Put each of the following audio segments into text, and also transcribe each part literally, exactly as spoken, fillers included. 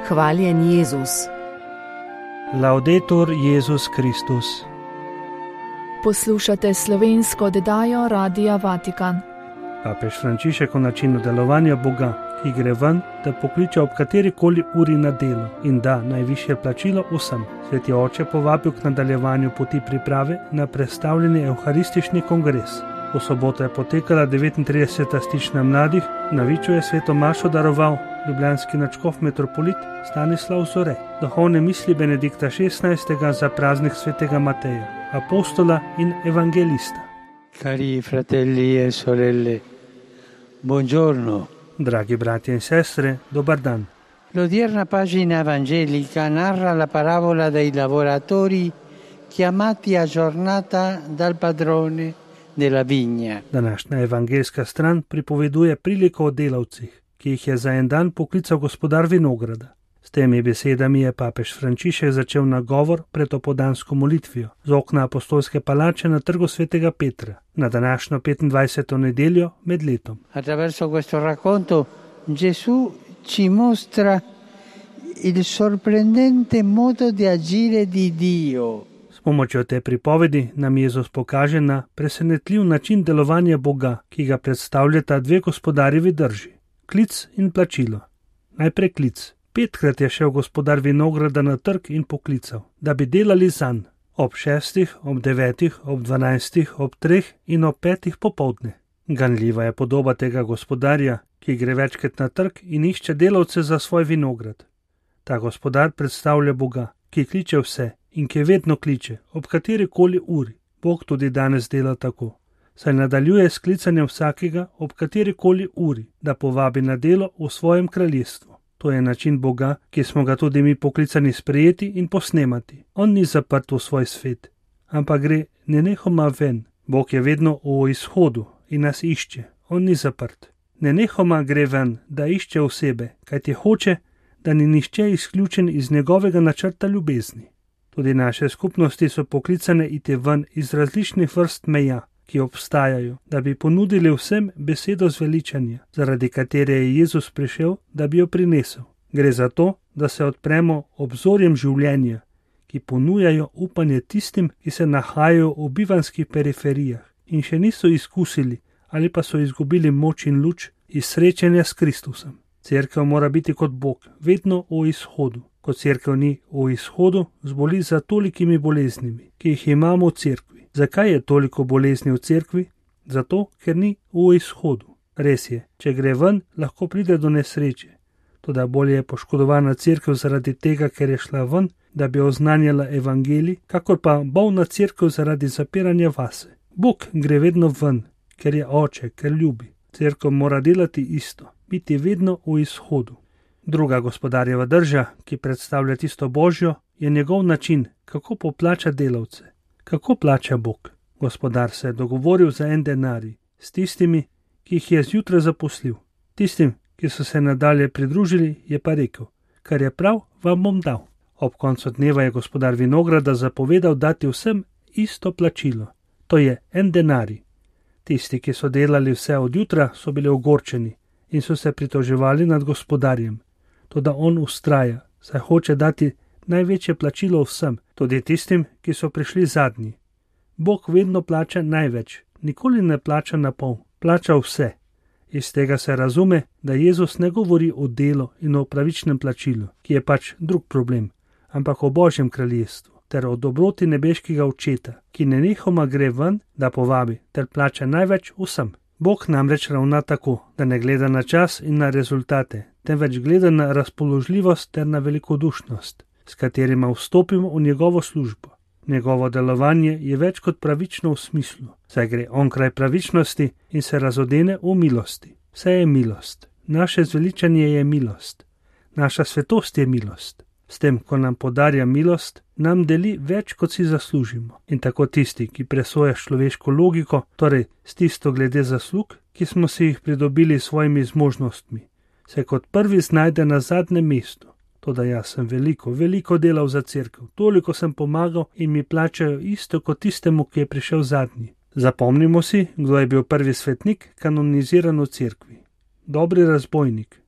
Hvaljen Jezus. Laudetur Jezus Kristus. Poslušate slovensko oddajo Radia Vatikan. Papež Frančišek o načinu delovanja Boga, ki gre ven, da pokliče ob katerikoli uri na delo in da najvišje plačilo vsem. Sveti oče povabil k nadaljevanju poti priprave na predstavljeni evharistični kongres. V soboto je potekala devetintrideseta stična mladih, na Viču je sveto mašo daroval ljubljanski nadškof metropolit Stanislav Zore. Duhovne misli Benedikta šestnajstega za praznik svetega Mateja, apostola in evangelista. Cari fratelli e sorelle, buongiorno. Dragi bratje in sestre, dobar dan. L'odierna pagina evangelica narra la parabola dei lavoratori chiamati a giornata dal padrone della vigna. Današnja evangelska stran pripoveduje priliko o delavcih, ki jih je za en dan poklical gospodar vinograda. S temi besedami je papež Frančišek začel nagovor pred opoldansko molitvijo z okna apostolske palače na trgu svetega Petra na današnjo petindvajseto nedeljo med letom. Attraverso questo racconto Gesù ci mostra il sorprendente modo di agire di Dio. S pomočjo te pripovedi nam Jezus pokaže na presenetljiv način delovanja Boga, ki ga predstavljata dve gospodarjevi drži, klic in plačilo. Najprej klic. Petkrat je šel gospodar vinograda na trg in poklical, da bi delali zanj. Ob šestih, ob devetih, ob dvanajstih, ob treh in ob petih popoldne. Ganljiva je podoba tega gospodarja, ki gre večkrat na trg in išče delavce za svoj vinograd. Ta gospodar predstavlja Boga, ki kliče vse in ki vedno kliče, ob katerikoli uri. Bog tudi danes dela tako. Saj nadaljuje s klicanjem vsakega ob katerikoli uri, da povabi na delo v svojem kraljestvu. To je način Boga, ki smo ga tudi mi poklicani sprejeti in posnemati. On ni zaprt v svoj svet, ampak gre nenehoma ven. Bog je vedno v izhodu in nas išče. On ni zaprt. Nenehoma gre ven, da išče osebe, kajti hoče, da ni nihče izključen iz njegovega načrta ljubezni. Tudi naše skupnosti so poklicane iti ven iz različnih vrst meja, ki obstajajo, da bi ponudili vsem besedo zveličanja, zaradi katere je Jezus prišel, da bi jo prinesel. Gre za to, da se odpremo obzorjem življenja, ki ponujajo upanje tistim, ki se nahajajo v bivanskih periferijah in še niso izkusili ali pa so izgubili moč in luč iz srečanja s Kristusem. Cerkev mora biti kot Bog, vedno v izhodu. Ko cerkev ni v izhodu, zboli za tolikimi boleznimi, ki jih imamo v cerkvi. Zakaj je toliko bolezni v cerkvi? Zato, ker ni v izhodu. Res je, če gre ven, lahko pride do nesreče. Toda bolje je poškodovana cerkev zaradi tega, ker je šla ven, da bi oznanjala evangelij, kakor pa bolna cerkev zaradi zapiranja vase. Bog gre vedno ven, ker je oče, ker ljubi. Cerkev mora delati isto, biti vedno v izhodu. Druga gospodarjeva drža, ki predstavlja tisto Božjo, je njegov način, kako poplača delavce. Kako plača Bog? Gospodar se je dogovoril za en denarij s tistimi, ki jih je zjutraj zaposlil. Tistim, ki so se nadalje pridružili, je pa rekel, kar je prav, vam bom dal. Ob koncu dneva je gospodar vinograda zapovedal dati vsem isto plačilo. To je en denarij. Tisti, ki so delali vse od jutra, so bili ogorčeni in so se pritoževali nad gospodarjem. Toda on ustraja, saj hoče dati največje plačilo vsem, tudi tistim, ki so prišli zadnji. Bog vedno plača največ, nikoli ne plača na pol, plača vse. Iz tega se razume, da Jezus ne govori o delu in o pravičnem plačilu, ki je pač drug problem, ampak o Božjem kraljestvu, ter o dobroti nebeškega očeta, ki nenehoma gre ven, da povabi, ter plača največ vsem. Bog namreč ravna tako, da ne gleda na čas in na rezultate, temveč gleda na razpoložljivost ter na velikodušnost, s katerima vstopimo v njegovo službo. Njegovo delovanje je več kot pravično v smislu, saj gre onkraj pravičnosti in se razodene v milosti. Vse je milost. Naše zveličanje je milost. Naša svetost je milost. S tem, ko nam podarja milost, nam deli več, kot si zaslužimo. In tako tisti, ki presoja človeško logiko, torej s tisto glede zaslug, ki smo si jih pridobili s svojimi zmožnostmi, se kot prvi znajde na zadnjem mestu. Toda jaz sem veliko, veliko delal za cerkev, toliko sem pomagal in mi plačajo isto kot tistemu, ki je prišel zadnji. Zapomnimo si, kdo je bil prvi svetnik kanoniziran v cerkvi. Dobri razbojnik.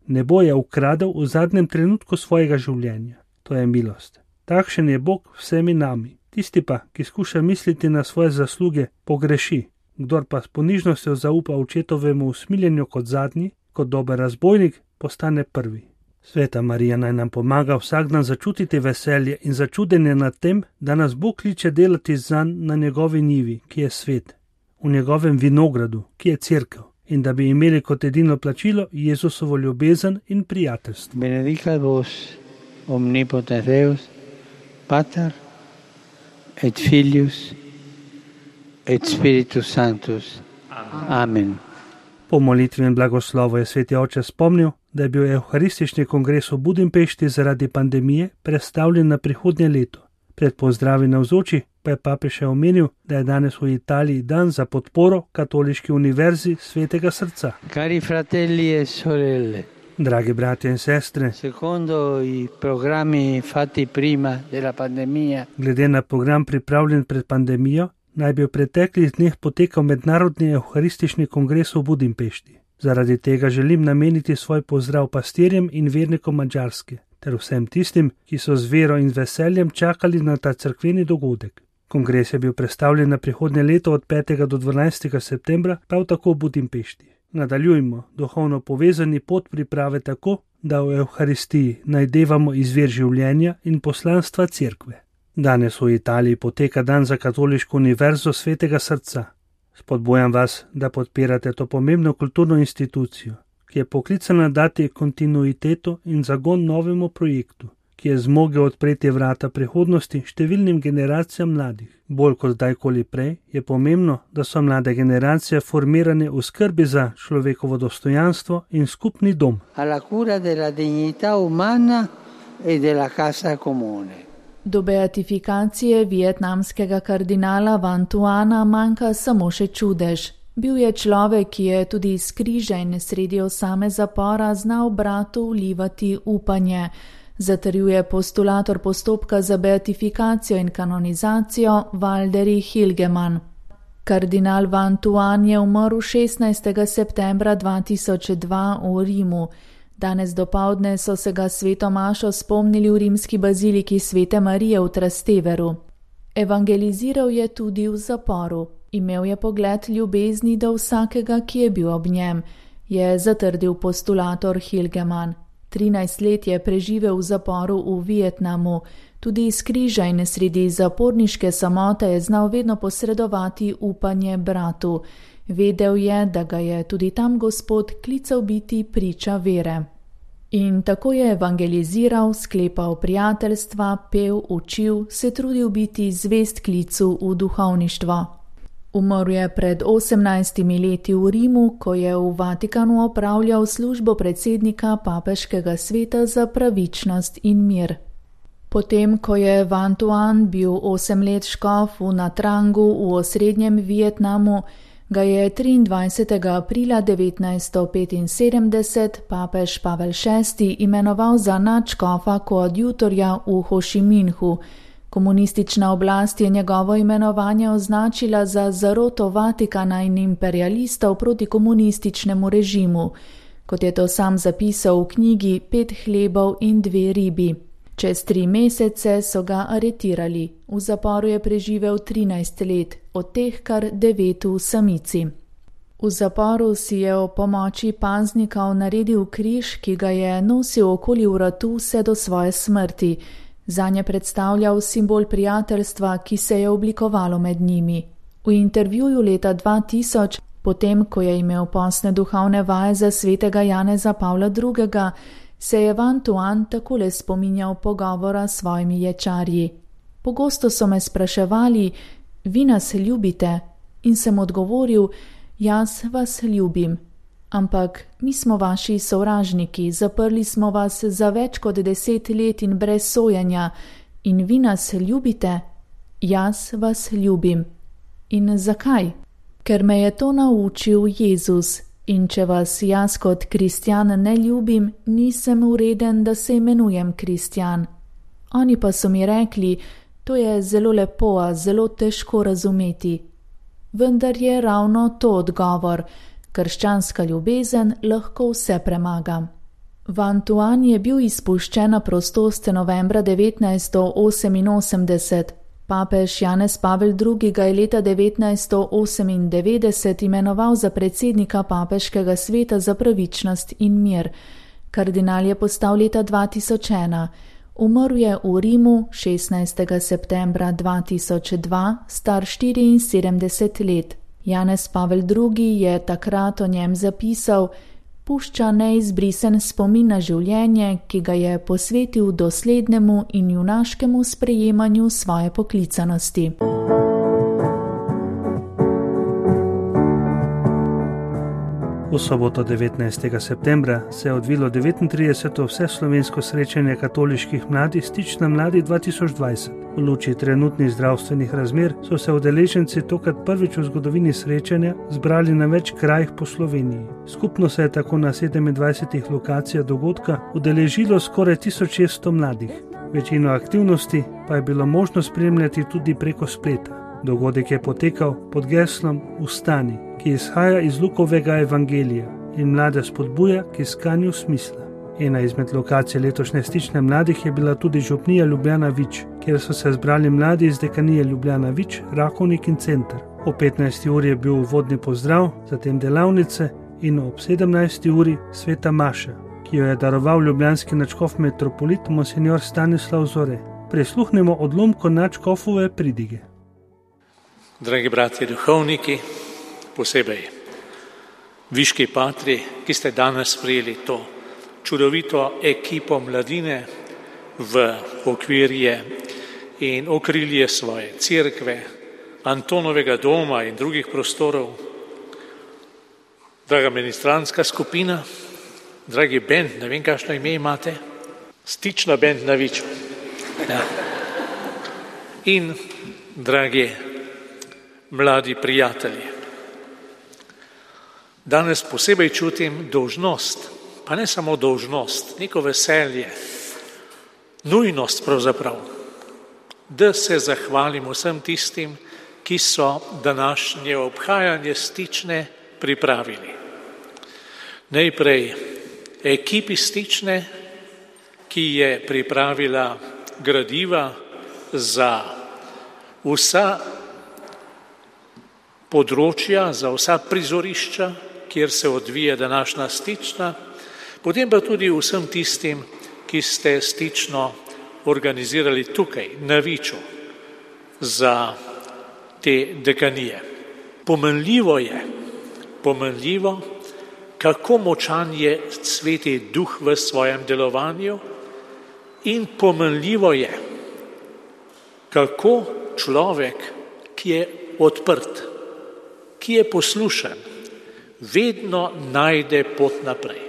Nebo je ukradel v zadnjem trenutku svojega življenja. To je milost. Takšen je Bog vsemi nami. Tisti pa, ki skuša misliti na svoje zasluge, pogreši. Kdor pa s ponižnostjo zaupa očetovemu usmiljenju kot zadnji, kot dober razbojnik, postane prvi. Sveta Marija naj nam pomaga vsak dan začutiti veselje in začudenje nad tem, da nas Bog kliče delati zanj na njegovi njivi, ki je svet, v njegovem vinogradu, ki je cerkev, in da bi imeli kot edino plačilo Jezusovo ljubezen in prijateljstvo. Benedicat vos omnipotens Deus, Pater et Filius et Spiritus Sanctus. Amen. Po molitvi in blagoslovu je sveti oče spomnil, da je bil evharistični kongres v Budimpešti zaradi pandemije prestavljen na prihodnje leto. Pred pozdravi navzoči pa je papež še omenil, da je danes v Italiji dan za podporo Katoliški univerzi Svetega srca. Cari fratelli e sorelle, Dragi bratje in sestre, secondo i programmi fatti prima della pandemia, glede na program pripravljen pred pandemijo, naj bi v preteklih dneh potekal mednarodni evharistični kongres v Budimpešti. Zaradi tega želim nameniti svoj pozdrav pastirjem in vernikom Madžarske, ter vsem tistim, ki so z vero in veseljem čakali na ta cerkveni dogodek. Kongres je bil prestavljen na prihodnje leto od petega do dvanajstega septembra, prav tako v Budimpešti. Nadaljujmo duhovno povezani pot priprave tako, da v evharistiji najdevamo izvir življenja in poslanstva cerkve. Danes v Italiji poteka dan za Katoliško univerzo Svetega srca. Spodbujam vas, da podpirate to pomembno kulturno institucijo, ki je poklicana dati kontinuiteto in zagon novemu projektu, ki je zmogel odpreti vrata prihodnosti številnim generacijam mladih. Bolj kot kdajkoli prej je pomembno, da so mlade generacije formirane v skrbi za človekovo dostojanstvo in skupni dom. alla cura della dignità umana e della casa comune. Do beatifikacije vietnamskega kardinala Van Tuana manjka samo še čudež. Bil je človek, ki je tudi iz križa in sredi osame zapora znal bratu vlivati upanje, zatrjuje postulator postopka za beatifikacijo in kanonizacijo Valderi Hilgeman. Kardinal Van Tuan je umrl šestnajstega septembra dva tisoč dva v Rimu. Danes dopoldne so se ga sveto mašo spomnili v rimski baziliki Svete Marije v Trasteveru. Evangeliziral je tudi v zaporu. Imel je pogled ljubezni do vsakega, ki je bil ob njem, je zatrdil postulator Hilgeman. trinajst let je preživel v zaporu v Vietnamu, tudi iz križa in sredi zaporniške samote je znal vedno posredovati upanje bratu. Vedel je, da ga je tudi tam Gospod klical biti priča vere. In tako je evangeliziral, sklepal prijateljstva, pel, učil, se trudil biti zvest klicu v duhovništvo. Umrl je pred osemnajstimi leti v Rimu, ko je v Vatikanu opravljal službo predsednika papeškega sveta za pravičnost in mir. Potem, ko je Van Tuan bil osem let škof v Natrangu v osrednjem Vietnamu, ga je triindvajsetega aprila devetnajststo petinsedemdeset papež Pavel šesti imenoval za nadškofa koadjutorja v Hošiminhu. Komunistična oblast je njegovo imenovanje označila za zaroto Vatikana in imperialistov proti komunističnemu režimu, kot je to sam zapisal v knjigi Pet hlebov in dve ribi. Čez tri mesece so ga aretirali. V zaporu je preživel trinajst let, od teh kar devet v samici. V zaporu si je o pomoči paznikov naredil križ, ki ga je nosil okoli vratu vse do svoje smrti. Zanje predstavljal simbol prijateljstva, ki se je oblikovalo med njimi. V intervjuju leta dva tisoč, potem ko je imel posne duhovne vaje za svetega Janeza Pavla drugega, se je Van Tuan takole spominjal pogovora s svojimi ječarji. Pogosto so me spraševali, vi nas ljubite? In sem odgovoril, jaz vas ljubim. Ampak mi smo vaši sovražniki, zaprli smo vas za več kot deset let in brez sojenja. In vi nas ljubite? Jaz vas ljubim. In zakaj? Ker me je to naučil Jezus. In če vas jaz kot kristjan ne ljubim, nisem vreden, da se imenujem kristjan. Oni pa so mi rekli, to je zelo lepo, a zelo težko razumeti. Vendar je ravno to odgovor. Krščanska ljubezen lahko vse premaga. Vantuan je bil izpuščen na prostost novembra devetnajststo oseminosemdeset. Papež Janez Pavel drugi. ga je leta devetnajststo osemindevetdeset imenoval za predsednika papeškega sveta za pravičnost in mir. Kardinal je postal leta dva tisoč ena. Umrl je v Rimu šestnajstega septembra dva tisoč dva, star štiriinsedemdeset let. Janez Pavel drugi. je takrat o njem zapisal: pušča neizbrisen spomin na življenje, ki ga je posvetil doslednemu in junaškemu sprejemanju svoje poklicanosti. V soboto devetnajstega septembra se je odvilo devetintrideseto vseslovensko srečanje katoliških mladih Stična mladi dva tisoč dvajset. V luči trenutnih zdravstvenih razmer so se udeleženci tokrat prvič v zgodovini srečanja zbrali na več krajih po Sloveniji. Skupno se je tako na sedemindvajsetih lokacijah dogodka udeležilo skoraj tisoč šeststo mladih. Večino aktivnosti pa je bilo možno spremljati tudi preko spleta. Dogodek je potekal pod geslom Vstani, ki izhaja iz Lukovega evangelija in mlade spodbuja k iskanju smisla. Ena izmed lokacij letošnje Stične mladih je bila tudi župnija Ljubljana Vič, kjer so se zbrali mladi iz dekanije Ljubljana Vič, Rakovnik in Center. Ob petnajsti uri je bil uvodni pozdrav, zatem delavnice in ob sedemnajsti uri sveta maša, ki jo je daroval ljubljanski nadškof metropolit monsignor Stanislav Zore. Prisluhnemo odlomku nadškofove pridige. Dragi bratje duhovniki, posebej viški patri, ki ste danes sprejeli to čudovito ekipo mladine v okvirje in okrilje svoje cerkve, Antonovega doma in drugih prostorov. Draga ministrantska skupina, dragi bend, ne vem, kakšno ime imate, Stična bend na Viču. Ja. In dragi mladi prijatelji, danes posebej čutim dolžnost, pa ne samo dolžnost, neko veselje, nujnost pravzaprav, da se zahvalim vsem tistim, ki so današnje obhajanje Stične pripravili. Najprej ekipi Stične, ki je pripravila gradiva za vsa področja, za vsa prizorišča, kjer se odvija današnja Stična, potem pa tudi vsem tistim, ki ste Stično organizirali tukaj, na Viču, za te dekanije. Pomenljivo je, pomenljivo, kako močan je Sveti Duh v svojem delovanju in pomenljivo je, kako človek, ki je odprt, ki je poslušan, vedno najde pot naprej.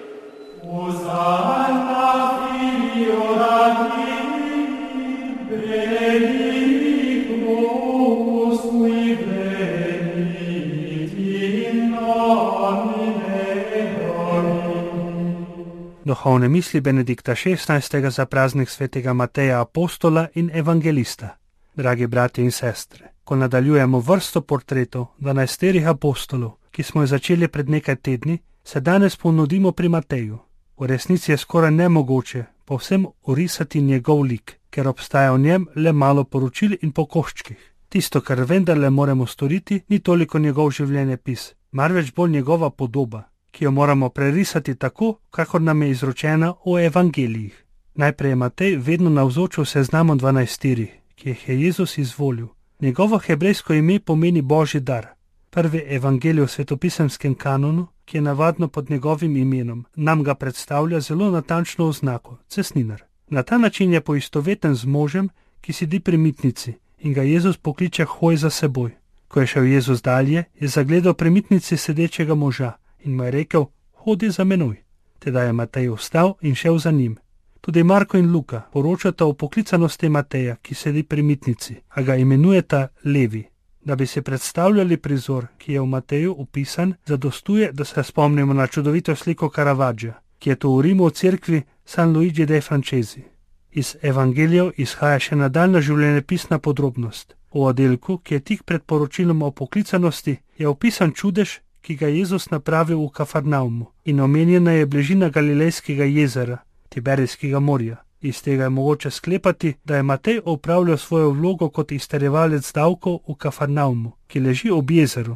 Duhovne misli Benedikta šestnajstega za praznik svetega Mateja apostola in evangelista. Dragi bratje in sestre, ko nadaljujemo vrsto portretov dvanajsterih apostolov, ki smo jo začeli pred nekaj tedni, se danes ponudimo pri Mateju. V resnici je skoraj nemogoče povsem orisati njegov lik, ker obstaja v njem le malo poročil in po koščkih. Tisto, kar vendarle moramo storiti, ni toliko njegov življenjepis, marveč bolj njegova podoba, ki jo moramo prerisati tako, kakor nam je izročena v evangelijih. Najprej je Matej vedno navzoč v seznamu dvanajsterih, ki jih je Jezus izvolil. Njegovo hebrejsko ime pomeni Božji dar. Prvi evangelij v svetopisemskem kanonu, ki je navadno pod njegovim imenom, nam ga predstavlja zelo natančno oznako, cestninar. Na ta način je poistoveten z možem, ki sedi pri mitnici in ga Jezus pokliče hoj za seboj. Ko je šel Jezus dalje, je zagledal pri mitnici sedečega moža in mu je rekel, hodi za menoj. Teda je Matej vstal in šel za njim. Tudi Marko in Luka poročata o poklicanosti Mateja, ki sedi pri mitnici, a ga imenujeta Levi. Da bi si predstavljali prizor, ki je v Mateju opisan, zadostuje, da se spomnimo na čudovito sliko Caravaggia, ki je to v Rimu v cerkvi San Luigi dei Francesi. Iz evangelijev izhaja še nadaljna življenjepisna podrobnost. V oddelku, ki je tik pred poročilom o poklicanosti, je opisan čudež, ki ga je Jezus napravil v Kafarnaumu, in omenjena je bližina Galilejskega jezera, Tiberijskega morja. Iz tega je mogoče sklepati, da je Matej opravljal svojo vlogo kot izterjevalec davkov v Kafarnaumu, ki leži ob jezeru,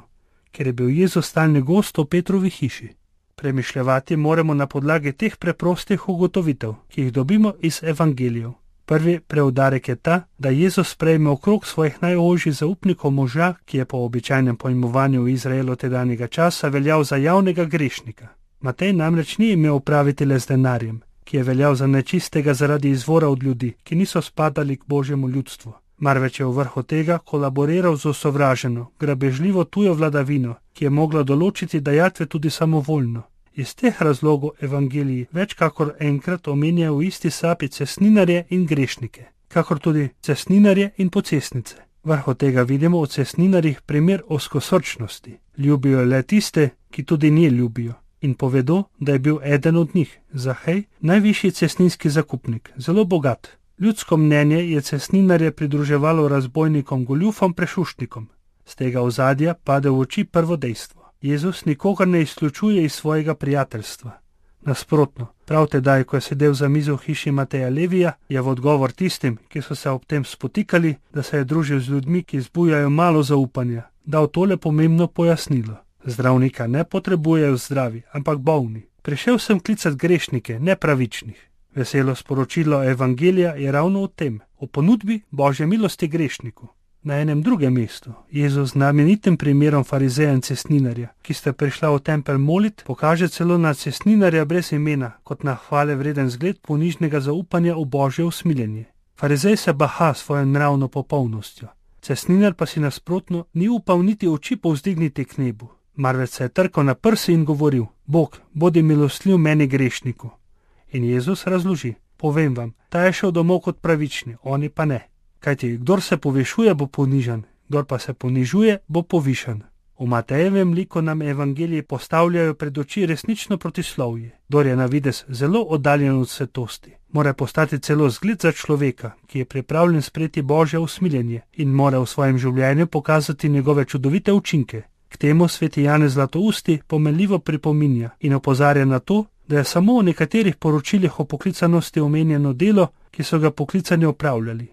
ker je bil Jezus stalni gost v Petrovi hiši. Premišljevati moramo na podlagi teh preprostih ugotovitev, ki jih dobimo iz evangelijev. Prvi preudarek je ta, da Jezus sprejme okrog svojih najožjih zaupnikov moža, ki je po običajnem pojmovanju v Izraelu tedanjega časa veljal za javnega grešnika. Matej namreč ni imel opraviti le z denarjem, ki je veljal za nečistega zaradi izvora od ljudi, ki niso spadali k Božjemu ljudstvu. Marveč je v vrhu tega kolaboriral z osovraženo, grabežljivo tujo vladavino, ki je mogla določiti dajatve tudi samovoljno. Iz teh razlogov evangeliji več kakor enkrat omenjajo v isti sapi cestninarje in grešnike, kakor tudi cestninarje in pocestnice. Vrhu tega vidimo v cestninarjih primer ozkosrčnosti. Ljubijo le tiste, ki tudi nje ljubijo, in povedo, da je bil eden od njih, Zahej, najvišji cestninski zakupnik, zelo bogat. Ljudsko mnenje je cestninarje pridruževalo razbojnikom, goljufom, prešuštnikom. Z tega ozadja pade v oči prvo dejstvo. Jezus nikogar ne izključuje iz svojega prijateljstva. Nasprotno, prav tedaj, ko je sedel za mizo v hiši Mateja Levija, je v odgovor tistim, ki so se ob tem spotikali, da se je družil z ljudmi, ki zbujajo malo zaupanja, dal tole pomembno pojasnilo. Zdravnika ne potrebujejo zdravi, ampak bolni. Prišel sem klicat grešnike, ne pravičnih. Veselo sporočilo evangelija je ravno o tem, o ponudbi Božje milosti grešniku. Na enem drugem mestu Jezus z znamenitim primerom farizeja in cestninarja, ki sta prišla v tempelj molit, pokaže celo na cestninarja brez imena, kot na hvale vreden zgled ponižnega zaupanja v Božje usmiljenje. Farizej se baha svojo nravno popolnostjo, cestninar pa si nasprotno ni upal niti oči povzdigniti k nebu, marveč se je trkal na prsi in govoril: Bog, bodi milostljiv meni grešniku. In Jezus razloži: povem vam, ta je šel domov kot pravični, oni pa ne. Kajti, kdor se povišuje, bo ponižan, kdor pa se ponižuje, bo povišan. V Matejevem liku nam evangeliji postavljajo pred oči resnično protislovje. Kdor je na videz zelo oddaljen od svetosti, mora postati celo zgled za človeka, ki je pripravljen sprejeti Božje usmiljenje in mora v svojem življenju pokazati njegove čudovite učinke. K temu sveti Janez Zlatousti pomenljivo pripominja in opozarja na to, da je samo v nekaterih poročilih o poklicanosti omenjeno delo, ki so ga poklicani opravljali.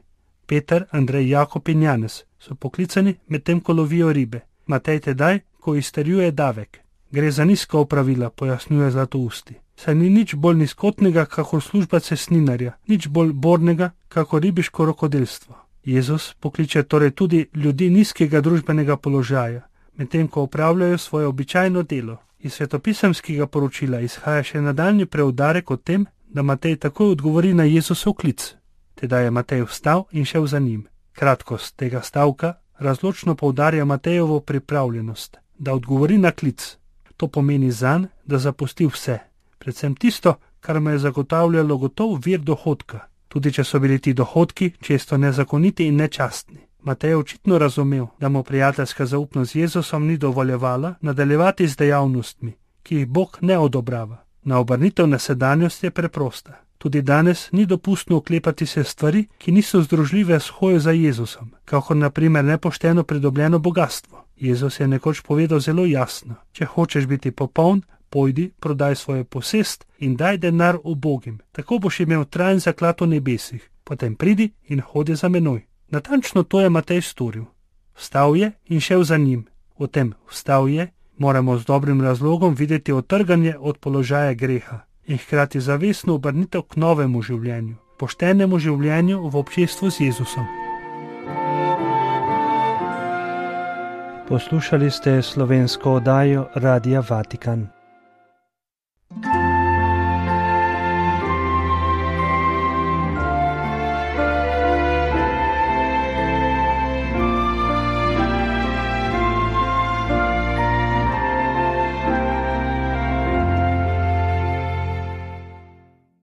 Peter, Andrej, Jakob in Janez so poklicani medtem, ko lovijo ribe. Matej tedaj, ko izterjuje davek. Gre za nizka opravila, pojasnjuje Zlatousti. Saj ni nič bolj nizkotnega, kakor služba cestninarja, nič bolj bornega, kakor ribiško rokodelstvo. Jezus pokliče torej tudi ljudi nizkega družbenega položaja, medtem ko opravljajo svoje običajno delo. Iz svetopisemskega poročila izhaja še nadaljnji preudarek o tem, da Matej takoj odgovori na Jezusov klic. Tedaj je Matej vstal in šel za njim. Kratkost tega stavka razločno poudarja Matejevo pripravljenost, da odgovori na klic. To pomeni zanj, da zapusti vse, predvsem tisto, kar mu je zagotavljalo gotov vir dohodka, tudi če so bili ti dohodki često nezakoniti in nečastni. Matej je očitno razumel, da mu prijateljska zaupnost z Jezusom ni dovoljevala nadaljevati z dejavnostmi, ki jih Bog ne odobrava. Na obrnitev na sedanjost je preprosta. Tudi danes ni dopustno oklepati se stvari, ki niso združljive s hojo za Jezusom, kakor na primer nepošteno pridobljeno bogatstvo. Jezus je nekoč povedal zelo jasno: če hočeš biti popoln, pojdi, prodaj svojo posest in daj denar ubogim, tako boš imel trajen zaklad v nebesih, potem pridi in hodi za menoj. Natančno to je Matej storil. Vstal je in šel za njim. V tem vstal je moramo z dobrim razlogom videti otrganje od položaja greha in hkrati zavestno obrnitev k novemu življenju, poštenemu življenju v občestvu z Jezusom. Poslušali ste slovensko oddajo Radia Vatikan.